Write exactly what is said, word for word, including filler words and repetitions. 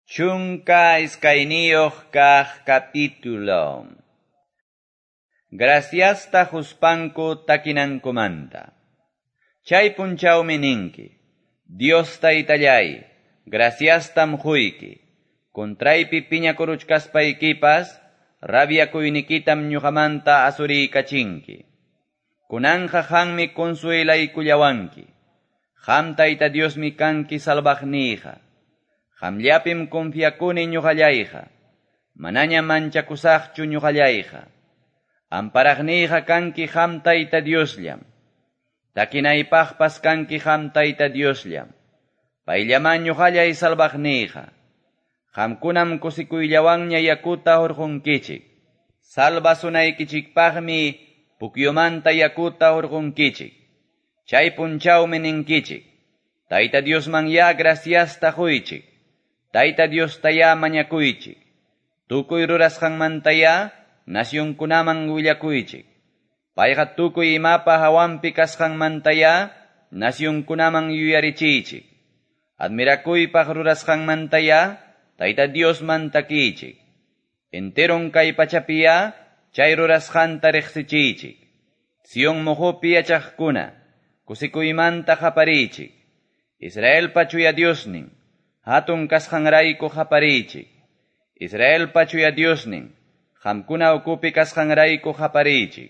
Chunka iskayniyuq kaq capítulo. Graciasta quspanku takinankumanta. Chay punchawmi ninki, Dios taytallay, graciastam quyki. Contraypi piñakuruchkaspaykipas, rabiakuynikitam ñuqamanta asuriykachinki. Kunanqa qammi consuelaykullawanki. Qam Tayta Diosmi kanki salvaqniyqa. Qamllapim confiakuni ñuqallayqa. Manaña manchakusaqchu ñuqallayqa. Amparaqniyqa kanki qam Tayta Diosllam. Takinaypaqpas kanki qam Tayta Diosllam. Payllaman ñuqallay salvaqniyqa. Qamkunam kusikuyllawanña yakuta hurqunkichik. Salvasunaykichikpaqmi pukyumanta yakuta hurqunkichik. Chay punchawmi ninkichik. Tayta Diosman ya graciasta quychik. Tayta Diosta ya mañakuychik. Tukuy rurasqanmanta ya nacionkunaman willakuychik. Payqa tukuy imapa hawanpi kasqanmanta ya nacionkunaman yuyarichiychik. Admirakuypaq rurasqanmanta ya Tayta Diosman takiychik. Enteron kay pachapi ya chay rurasqanta riqsichiychik. Sion muqupi yachaqkuna kusikuymanta qapariychik. Israelpa chuya Diosnin, hatun kasqanrayku qapariychik. Israelpa chuya Diosnin, qamkuna ukupi kasqanrayku qapariychik.